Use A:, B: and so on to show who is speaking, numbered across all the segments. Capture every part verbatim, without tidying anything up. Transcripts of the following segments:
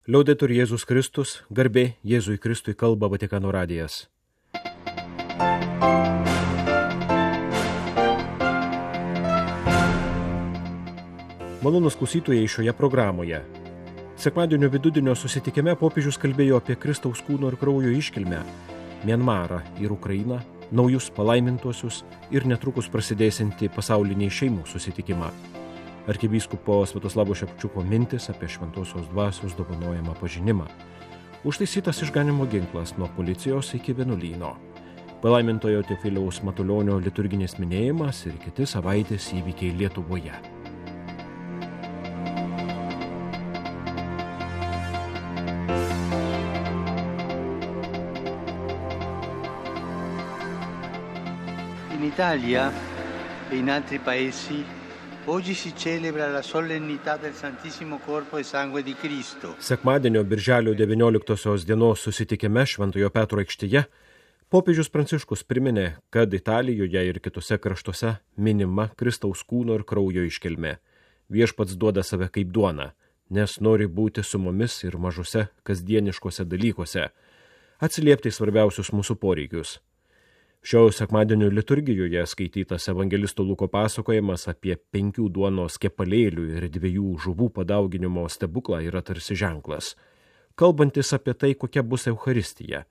A: Liaudetur Jėzus Kristus, garbė Jėzui Kristui, kalba Vatikano radijas. Malonūs klausytojai šioje programoje. Sekmadienio vidudienio susitikime popiežius kalbėjo apie Kristaus kūno ir kraujo iškilmę, Mianmarą ir Ukrainą, naujus palaimintuosius ir netrukus prasidėsiantį pasaulinį šeimų susitikimą. Arkivyskupo Sviatoslavo Šepčiuko mintis apie šventosios dvasios dovanojamą pažinimą. Užtaisytas išganimo ginklas nuo policijos iki vienuolyno. Palaimintojo Teofiliaus Matulionio liturginis minėjimas ir kiti savaitės įvykiai Lietuvoje.
B: In Italia e in altri paesi oggi si celebra la solennità del Santissimo Corpo e Sangue di Cristo.
A: Sekmadienio birželio devynioliktosios dienos susitikime Šventojo Petro aikštėje popiežius Pranciškus priminė, kad Italijoje ir kitose kraštuose minima Kristaus kūno ir kraujo iškilmė. Viešpats duoda save kaip duoną, nes nori būti su mumis ir mažuose kasdieniškose dalykuose, atsiliepti svarbiausius mūsų poreikius. Šio sekmadienio liturgijoje skaitytas evangelisto Luko pasakojimas apie penkių duonos kepalėlių ir dviejų žuvų padauginimo stebuklą yra tarsi ženklas, kalbantis apie tai, kokia bus Eucharistija,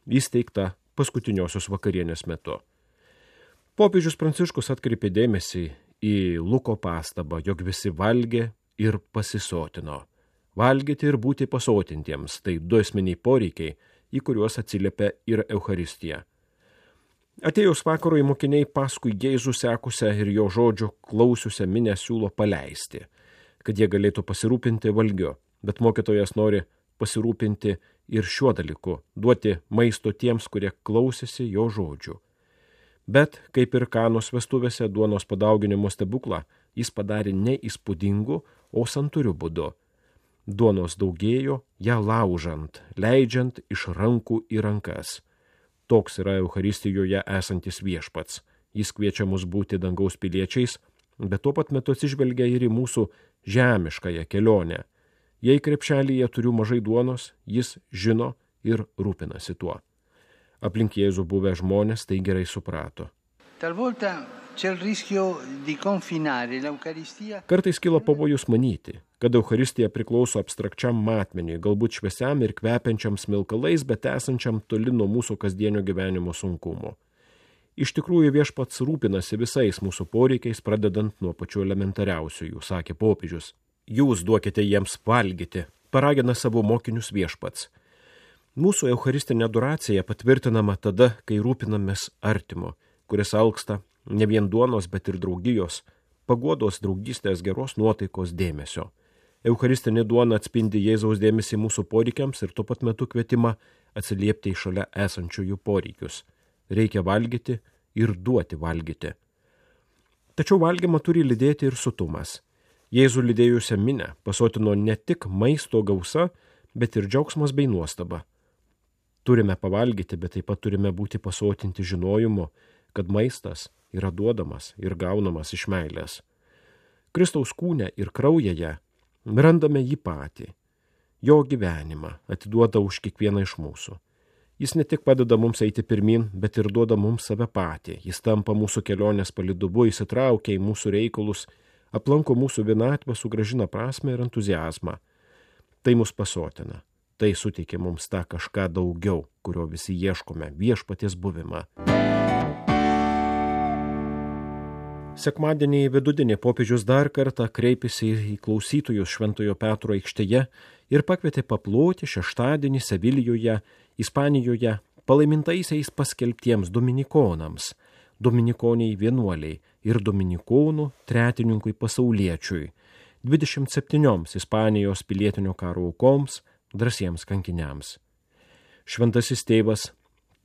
A: įsteigta paskutiniosios vakarienės metu. Popiežius Pranciškus atkreipė dėmesį į Luko pastabą, jog visi valgė ir pasisotino. Valgyti ir būti pasotintiems – tai du esminiai poreikiai, į kuriuos atsiliepia ir Eucharistija. Atėjus vakarui mokiniai paskui Jėzų sekusią ir jo žodžių klausiusią minę siūlo paleisti, kad jie galėtų pasirūpinti valgiu, bet mokytojas nori pasirūpinti ir šiuo dalyku, duoti maisto tiems, kurie klausėsi jo žodžių. Bet, kaip ir Kanos vestuvėse duonos padauginimo stebuklą, jis padarė ne įspūdingu, o santūriu būdu. Duonos daugėjo, ją laužant, leidžiant iš rankų į rankas. Toks yra Eucharistijoje esantis viešpats. Jis kviečia mus būti dangaus piliečiais, bet tuo pat metu atsižvelgia ir į mūsų žemiškąją kelionę. Jei krepšelyje turiu mažai duonos, jis žino ir rūpinasi tuo. Aplink Jėzų buvę žmonės tai gerai suprato.
B: Talvolta c'è il rischio di confinare l'Eucaristia.
A: Kartais kilo pavojus manyti, kad Eucharistija priklauso abstrakčiam matmeniui, galbūt šviesiam ir kvepiančiam smilkalais, bet esančiam toli nuo mūsų kasdienio gyvenimo sunkumo. Iš tikrųjų viešpats rūpinasi visais mūsų poreikiais, pradedant nuo pačių elementariausiųjų, sakė popiežius. Jūs duokite jiems valgyti, paragina savo mokinius viešpats. Mūsų eucharistinė adoracija patvirtinama tada, kai rūpinamės artimu, kuris alksta ne vien duonos, bet ir draugijos, paguodos, draugystės, geros nuotaikos, dėmesio. Eucharistinė duona atspindi Jėzaus dėmesį mūsų poreikiams ir tuo pat metu kvietimą atsiliepti į šalia esančiųjų poreikius. Reikia valgyti ir duoti valgyti. Tačiau valgymą turi lydėti ir sotumas. Jėzų lydėjusią minę pasotino ne tik maisto gausa, bet ir džiaugsmas bei nuostaba. Turime pavalgyti, bet taip pat turime būti pasotinti žinojimu, kad maistas yra duodamas ir gaunamas iš meilės. Kristaus kūne ir kraujoje randame jį patį, jo gyvenimą atiduoda už kiekvieną iš mūsų. Jis ne tik padeda mums eiti pirmin, bet ir duoda mums save patį. Jis tampa mūsų kelionės palyduvu, įsitraukia į mūsų reikalus, aplanko mūsų vienatvę, sugrąžina prasmę ir entuzijazmą. Tai mus pasotina, tai suteikia mums tą kažką daugiau, kurio visi ieškome, viešpaties buvimą. Sekmadienį vidudienį popiežius dar kartą kreipėsi į klausytojus Šventojo Petro aikštėje ir pakvietė paploti šeštadienį Sevilijoje, Ispanijoje, palaimintaisiais paskelbtiems dominikonams, dominikoniai vienuoliai ir dominikonų tretininkui pasauliečiui, dvidešimt septynioms Ispanijos pilietinio karo aukoms, drąsiems kankiniams. Šventasis tėvas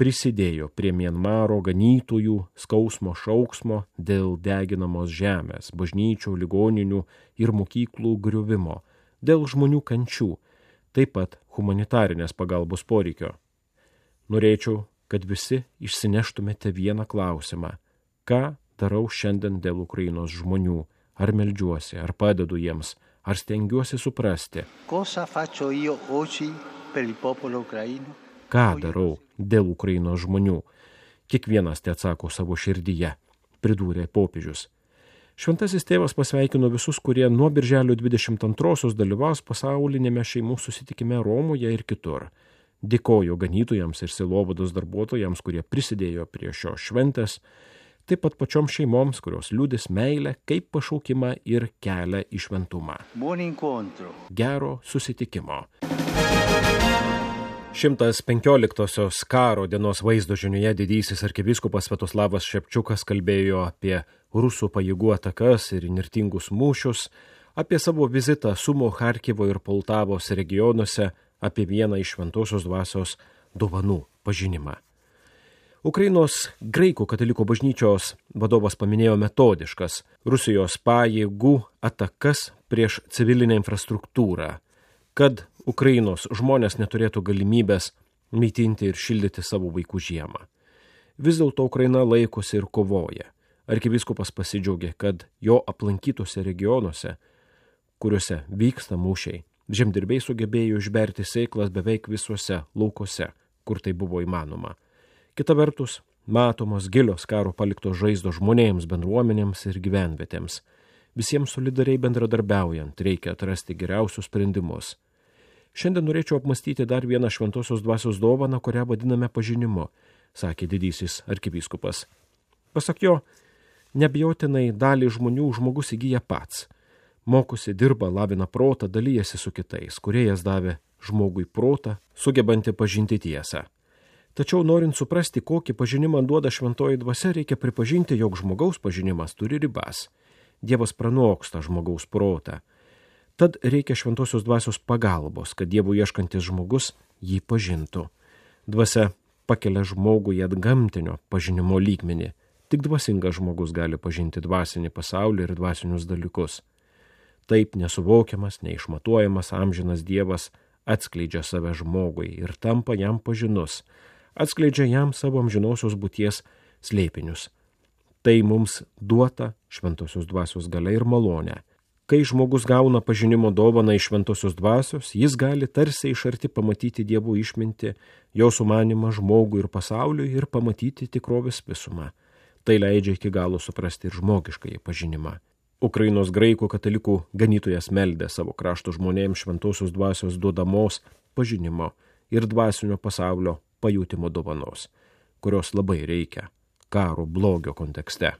A: prisidėjo prie Mianmaro ganytojų skausmo šauksmo dėl deginamos žemės, bažnyčių, ligoninių ir mokyklų griuvimo, dėl žmonių kančių, taip pat humanitarinės pagalbos poreikio. Norėčiau, kad visi išsineštumėte vieną klausimą. Ką darau šiandien dėl Ukrainos žmonių? Ar meldžiuosi, ar padedu jiems, Ar stengiuosi suprasti,
B: Cosa faccio io oggi per il popolo ucraino?
A: ką darau dėl Ukrainos žmonių? Kiekvienas te atsako savo širdyje, pridūrė popiežius. Šventasis tėvas pasveikino visus, kurie nuo birželio dvidešimt antrosios dalyvaus pasaulinėme šeimų susitikime Romoje ir kitur. Dėkojo ganytojams ir sielovados darbuotojams, kurie prisidėjo prie šios šventės, taip pat pačioms šeimoms, kurios liudys meilę kaip pašaukimą ir kelią į šventumą.
B: Buon incontro.
A: Gero susitikimo. šimtas penkioliktosios karo dienos vaizdo žinioje didysis arkivyskupas Sviatoslavas Šepčiukas kalbėjo apie rusų pajėgų atakas ir įnirtingus mūšius, apie savo vizitą Sumo, Charkivo ir Poltavos regionuose, apie vieną iš šventosios dvasios dovanų pažinimą. Ukrainos graikų katalikų bažnyčios vadovas paminėjo metodiškas Rusijos pajėgų atakas prieš civilinę infrastruktūrą, kad Ukrainos žmonės neturėtų galimybės maitinti ir šildyti savo vaikų žiemą. Vis dėlto Ukraina laikosi ir kovoja. Arkivyskupas pasidžiaugė, kad jo aplankytose regionuose, kuriuose vyksta mūšiai, žemdirbiai sugebėjo išberti sėklas beveik visuose laukuose, kur tai buvo įmanoma. Kita vertus, matomos gilios karo paliktos žaizdos žmonėms, bendruomenėms ir gyvenvietėms. Visiems solidariai bendradarbiaujant reikia atrasti geriausius sprendimus. Šiandien norėčiau apmastyti dar vieną šventosios dvasios dovaną, kurią vadiname pažinimu, sakė didysis arkivyskupas. Pasak jo, neabejotinai dalį žmonių žmogus įgyja pats. Mokosi, dirba, lavina protą, dalyjasi su kitais, kūrėjas davė žmogui protą, sugebantį pažinti tiesą. Tačiau norint suprasti, kokį pažinimą duoda šventoji dvasia, reikia pripažinti, jog žmogaus pažinimas turi ribas. Dievas pranoksta žmogaus protą. Tad reikia šventosios dvasios pagalbos, kad Dievo ieškantis žmogus jį pažintų. Dvasia pakelia žmogų į atgamtinio pažinimo lygmenį. Tik dvasingas žmogus gali pažinti dvasinį pasaulį ir dvasinius dalykus. Taip nesuvokiamas, neišmatuojamas amžinas Dievas atskleidžia save žmogui ir tampa jam pažinus, atskleidžia jam savo amžinosios būties slėpinius. Tai mums duota šventosios dvasios galia ir malonė. Kai žmogus gauna pažinimo dovaną iš šventosios dvasios, jis gali tarsi iš arti pamatyti Dievo išmintį, jo sumanimą žmogui ir pasauliui ir pamatyti tikrovės visumą. Tai leidžia iki galo suprasti ir žmogiškąjį pažinimą. Ukrainos graikų katalikų ganytojas meldė savo krašto žmonėms šventosios dvasios duodamos pažinimo ir dvasinio pasaulio pajutimo dovanos, kurios labai reikia karo blogio kontekste.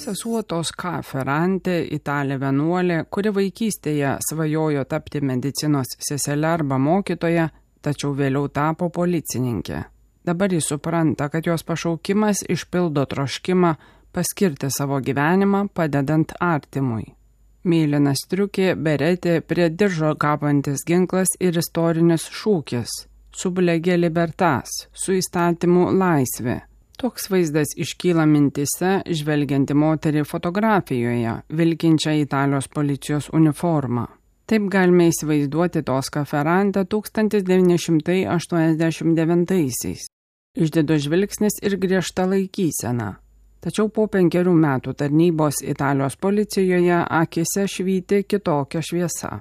C: Sesuo Tosca Ferrante, italė vienuolė, kuri vaikystėje svajojo tapti medicinos sesele arba mokytoja, tačiau vėliau tapo policininkė. Dabar jis supranta, kad jos pašaukimas išpildo troškimą paskirti savo gyvenimą padedant artimui. Mėlyna striukė, beretė, prie diržo kabantis ginklas ir istorinis šūkis "Sub lege libertas", su įstatymu laisvė. Toks vaizdas iškyla mintise, žvelgianti moterį fotografijoje, vilkinčią Italijos policijos uniformą. Taip galime įsivaizduoti Tosca Ferrante tūkstantis devyni šimtai aštuoniasdešimt devintaisiais. Išdido žvilgsnis ir griežta laikysena. Tačiau po penkerių metų tarnybos Italijos policijoje akise švyti kitokia šviesa.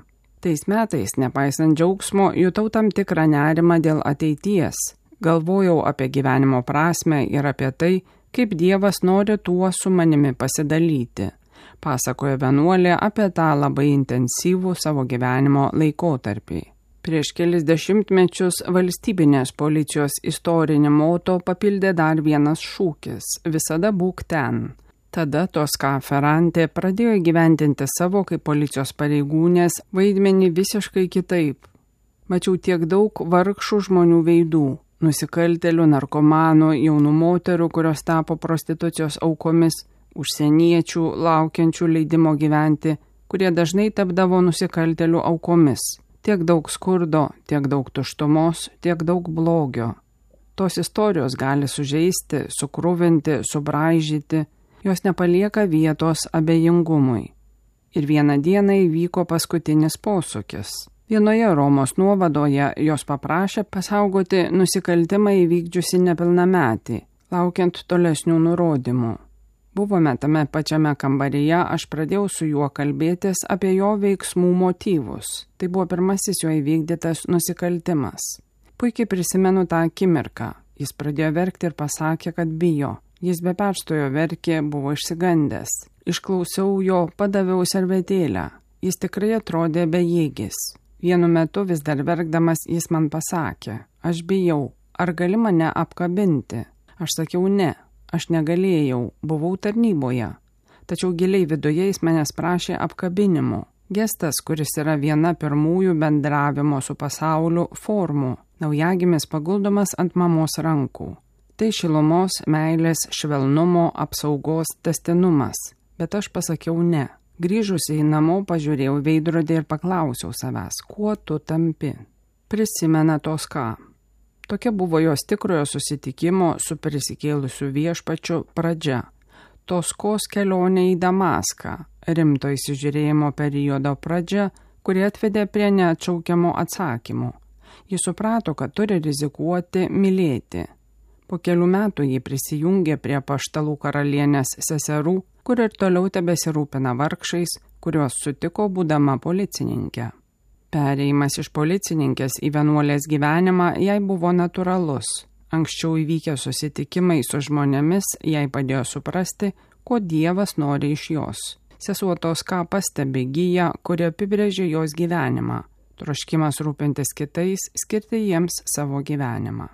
C: Tais metais, nepaisant džiaugsmo, jutau tam tikrą nerimą dėl ateities. Galvojau apie gyvenimo prasmę ir apie tai, kaip Dievas nori tuo su manimi pasidalyti, pasakoja vienuolė apie tą labai intensyvų savo gyvenimo laikotarpį. Prieš kelis dešimtmečius valstybinės policijos istorinį moto papildė dar vienas šūkis – visada būk ten. Tada Tosca Ferrante pradėjo įgyvendinti savo kaip policijos pareigūnės vaidmenį visiškai kitaip. Mačiau tiek daug vargšų žmonių veidų. Nusikaltėlių, narkomanų, jaunų moterų, kurios tapo prostitucijos aukomis, užsieniečių, laukiančių leidimo gyventi, kurie dažnai tapdavo nusikaltėlių aukomis. Tiek daug skurdo, tiek daug tuštumos, tiek daug blogio. Tos istorijos gali sužeisti, sukruvinti, subraižyti, jos nepalieka vietos abejingumui. Ir vieną dieną įvyko paskutinis posūkis. Vienoje Romos nuovadoje jos paprašė pasaugoti nusikaltimą įvykdžiusi nepilnametį, laukiant tolesnių nurodymų. buvome tame pačiame kambaryje, aš pradėjau su juo kalbėtis apie jo veiksmų motyvus. Tai buvo pirmasis jo įvykdytas nusikaltimas. Puikiai prisimenu tą akimirką. Jis pradėjo verkti ir pasakė, kad bijo. Jis be perstojo verkė, buvo išsigandęs. Išklausiau jo, padaviau servetėlę. Jis tikrai atrodė bejėgis. Vienu metu vis dar verkdamas jis man pasakė, aš bijau, ar gali mane apkabinti? Aš sakiau ne, aš negalėjau, buvau tarnyboje. Tačiau giliai viduje jis manęs prašė apkabinimo. Gestas, kuris yra viena pirmųjų bendravimo su pasauliu formų. Naujagimis paguldomas ant mamos rankų. Tai šilumos, meilės, švelnumo, apsaugos tęstinumas. Bet aš pasakiau ne. Grįžusi į namo pažiūrėjau veidrodį ir paklausiau savęs, kuo tu tampi. Prisimena Toska. Tokia buvo jos tikrojo susitikimo su prisikėlusiu viešpačiu pradžia. Toskos kelionė į Damaską, rimto įsižiūrėjimo periodo pradžia, kuri atvedė prie neatšaukiamo atsakymo. Jis suprato, kad turi rizikuoti mylėti. Po kelių metų jį prisijungė prie Apaštalų karalienės seserų, kur ir toliau tebesirūpina vargšais, kuriuos sutiko būdama policininkė. Perėjimas iš policininkės į vienuolės gyvenimą jai buvo natūralus. Anksčiau įvykę susitikimai su žmonėmis jai padėjo suprasti, ko Dievas nori iš jos. Sesuo Toska pastebi giją, kuri apibrėžė jos gyvenimą. Troškimas rūpintis kitais, skirti jiems savo gyvenimą.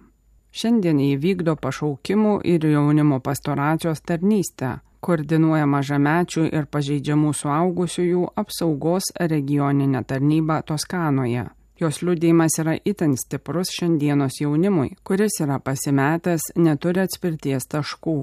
C: Šiandien jį vykdo pašaukimų ir jaunimo pastoracijos tarnystę, koordinuoja mažamečių ir pažeidžiamų suaugusiųjų apsaugos regioninę tarnybą Toskanoje. Jos liudijimas yra itin stiprus šiandienos jaunimui, kuris yra pasimetęs, neturi atspirties taškų.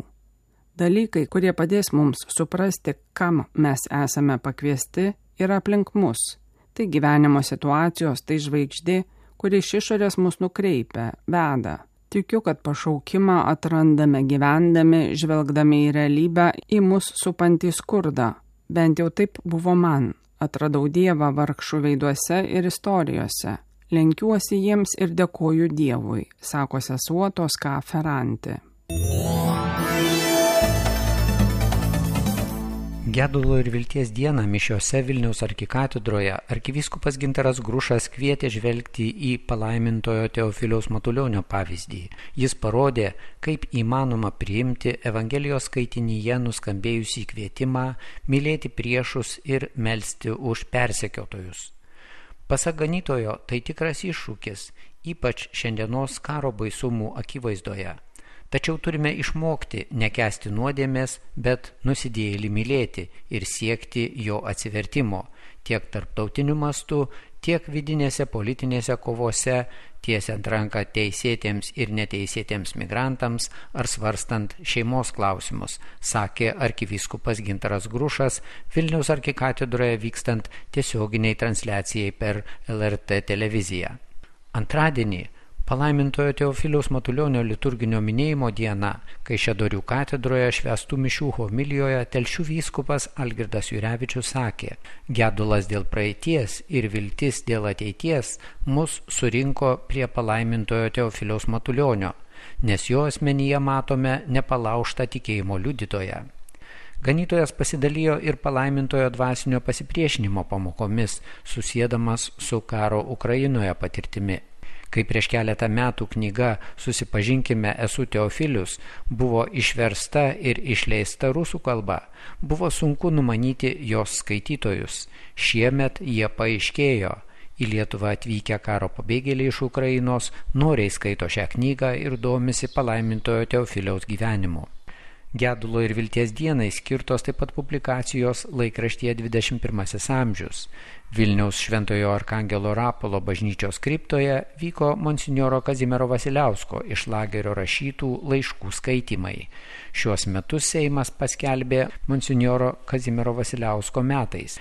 C: Dalykai, kurie padės mums suprasti, kam mes esame pakviesti, yra aplink mus. Tai gyvenimo situacijos, tai žvaigždė, kuri iš išorės mus nukreipia, veda. Tikiu, kad pašaukimą atrandame gyvendami, žvelgdami į realybę, į mus supantį skurdą. Bent jau taip buvo man. Atradau Dievą vargšų veiduose ir istorijose. Lenkiuosi jiems ir dėkoju Dievui, sako sesuo Toska Ferranti.
D: Gedulo ir vilties dieną mišiose Vilniaus arkikatedroje arkivyskupas Gintaras Grušas kvietė žvelgti į palaimintojo Teofiliaus Matulionio pavyzdį. Jis parodė, kaip įmanoma priimti Evangelijos skaitinyje nuskambėjusį kvietimą mylėti priešus ir melsti už persekiotojus. Pasak ganytojo, tai tikras iššūkis, ypač šiandienos karo baisumų akivaizdoje. Tačiau turime išmokti nekęsti nuodėmės, bet nusidėjėlį mylėti ir siekti jo atsivertimo tiek tarptautiniu mastu, tiek vidinėse politinėse kovose, tiesiant ranką teisėtiems ir neteisėtiems migrantams ar svarstant šeimos klausimus, sakė arkivyskupas Gintaras Grušas Vilniaus arkikatedroje vykstant tiesioginiai transliacijai per L R T televiziją. Antradienį palaimintojo Teofiliaus Matulionio liturginio minėjimo diena, Kaišiadorių katedroje švęstų mišių homilijoje Telšių vyskupas Algirdas Jurevičius sakė, gedulas dėl praeities ir viltis dėl ateities mus surinko prie palaimintojo Teofiliaus Matulionio, nes jo asmenyje matome nepalaužtą tikėjimo liudytoją. Ganytojas pasidalijo ir palaimintojo dvasinio pasipriešinimo pamokomis, susiedamas su karo Ukrainoje patirtimi. Kai prieš keletą metų knyga Susipažinkime, esu Teofilius buvo išversta ir išleista rusų kalba, buvo sunku numanyti jos skaitytojus. Šiemet jie paaiškėjo. Į Lietuvą atvykę karo pabėgėliai iš Ukrainos noriai skaito šią knygą ir domisi palaimintojo Teofiliaus gyvenimu. Gedulo ir vilties dienai skirtos taip pat publikacijos laikraštyje dvidešimt pirmasis amžius. Vilniaus Šventojo Arkangelo Rapolo bažnyčios kriptoje vyko monsinjoro Kazimiero Vasiliausko iš lagerio rašytų laiškų skaitymai. Šiuos metus Seimas paskelbė monsinjoro Kazimiero Vasiliausko metais.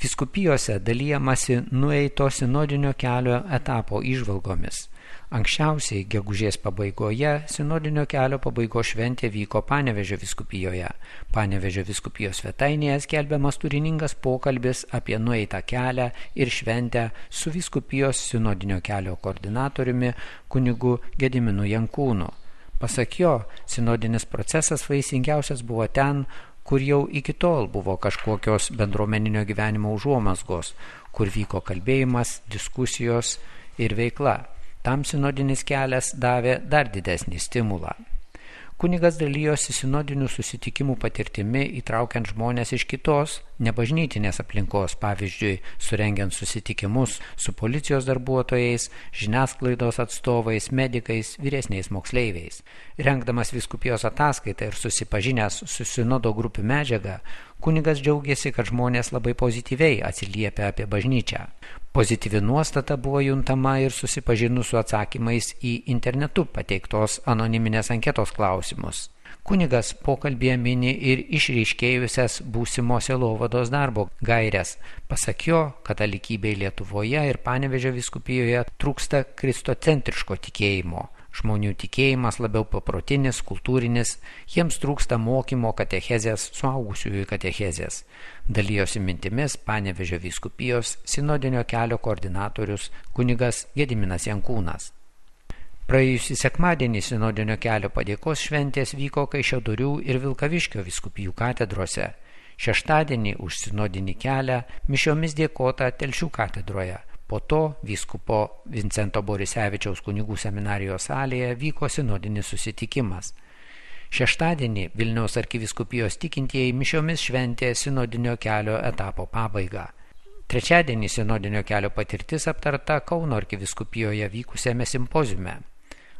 D: Vyskupijose dalijamasi nueito sinodinio kelio etapo įžvalgomis. Anksčiausiai gegužės pabaigoje sinodinio kelio pabaigos šventė vyko Panevėžio vyskupijoje. Panevėžio vyskupijos svetainėje skelbiamas turiningas pokalbis apie nueitą kelią ir šventę su vyskupijos sinodinio kelio koordinatoriumi kunigu Gediminu Jankūnu. Pasak jo, sinodinis procesas vaisingiausias buvo ten, kur jau iki tol buvo kažkokios bendruomeninio gyvenimo užuomazgos, kur vyko kalbėjimas, diskusijos ir veikla. Tam sinodinis kelias davė dar didesnį stimulą. Kunigas dalyjosi sinodinių susitikimų patirtimi, įtraukiant žmonės iš kitos, nebažnytinės aplinkos, pavyzdžiui, surengiant susitikimus su policijos darbuotojais, žiniasklaidos atstovais, medikais, vyresniais moksleiviais. Rengdamas vyskupijos ataskaitą ir susipažinęs su sinodo grupių medžiaga, kunigas džiaugėsi, kad žmonės labai pozityviai atsiliepia apie bažnyčią. Pozityvi nuostata buvo juntama ir susipažinus su atsakymais į internetu pateiktos anoniminės anketos klausimus. Kunigas pokalbėje mini ir išryškėjusias būsimo sielovados darbo gaires. Pasak jo, katalikybei Lietuvoje ir Panevėžio vyskupijoje trūksta kristocentriško tikėjimo. Žmonių tikėjimas labiau paprotinis, kultūrinis, jiems trūksta mokymo katechezės, suaugusiųjų katechezės. Dalijosi mintimis Panevėžio vyskupijos sinodinio kelio koordinatorius kunigas Gediminas Jankūnas. Praėjusį sekmadienį sinodinio kelio padėkos šventės vyko Kaišiadorių ir Vilkaviškio vyskupijų katedrose. Šeštadienį už sinodinį kelią mišiomis dėkota Telšių katedroje. Po to vyskupo Vincento Borisevičiaus kunigų seminarijos salėje vyko sinodinis susitikimas. Šeštadienį Vilniaus arkivyskupijos tikintieji mišiomis šventė sinodinio kelio etapo pabaigą. Trečiadienį sinodinio kelio patirtis aptarta Kauno arkivyskupijoje vykusiame simpoziume.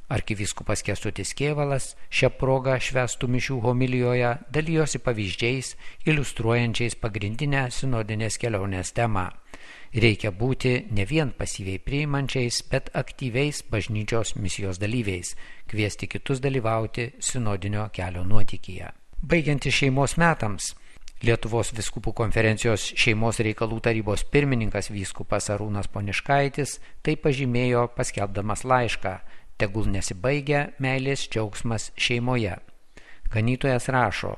D: Arkivyskupas Kęstutis Kėvalas šią progą švęstų mišių homilijoje dalijosi pavyzdžiais, iliustruojančiais pagrindinę sinodinės kelionės temą. Reikia būti ne vien pasyviai priimančiais, bet aktyviais bažnyčios misijos dalyviais, kviesti kitus dalyvauti sinodinio kelio nuotykyje. Baigiantis šeimos metams, Lietuvos vyskupų konferencijos šeimos reikalų tarybos pirmininkas vyskupas Arūnas Poniškaitis tai pažymėjo paskelbdamas laišką: tegul nesibaigia meilės džiaugsmas šeimoje. Ganytojas rašo: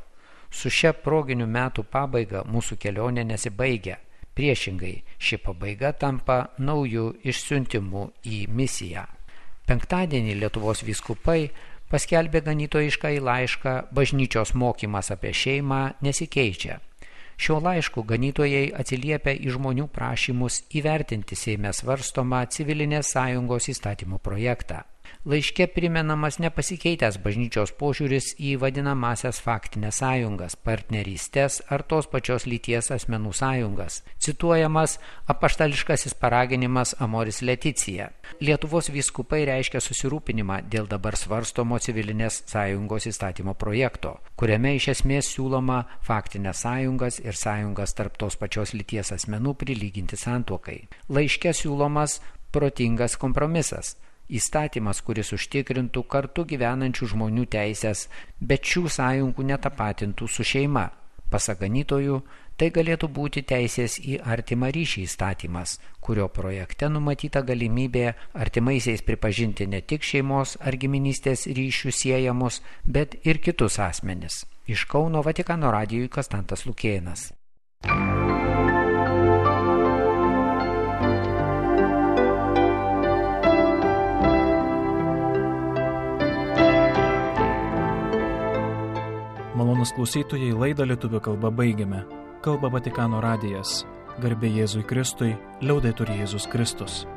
D: su šia proginių metų pabaiga mūsų kelionė nesibaigia. Priešingai, ši pabaiga tampa naujų išsiuntimų į misiją. Penktadienį Lietuvos vyskupai paskelbė ganytojišką į laišką bažnyčios mokymas apie šeimą nesikeičia. Šiuo laišku ganytojai atsiliepia į žmonių prašymus įvertinti Seime svarstomą civilinės sąjungos įstatymo projektą. Laiške primenamas nepasikeitęs bažnyčios požiūris į vadinamasias faktinės sąjungas, partnerystės ar tos pačios lyties asmenų sąjungas. Cituojamas apaštališkasis paraginimas Amoris Leticija. Lietuvos vyskupai reiškia susirūpinimą dėl dabar svarstomo civilinės sąjungos įstatymo projekto, kuriame iš esmės siūloma faktinės sąjungas ir sąjungas tarp tos pačios lyties asmenų prilyginti santuokai. Laiške siūlomas protingas kompromisas. Įstatymas, kuris užtikrintų kartu gyvenančių žmonių teisės, bet šių sąjungų netapatintų su šeima. Pasak ganytojų, tai galėtų būti teisės į artimą ryšį įstatymas, kurio projekte numatyta galimybė artimaisiais pripažinti ne tik šeimos ar giminystės ryšių siejamus, bet ir kitus asmenis. Iš Kauno Vatikano radijui Konstantas Lukėnas.
E: Malonūs klausytojai, laidą lietuvių kalba baigiame. Kalba Vatikano radijas. Garbė Jėzui Kristui, liaudetur Jėzus Kristus.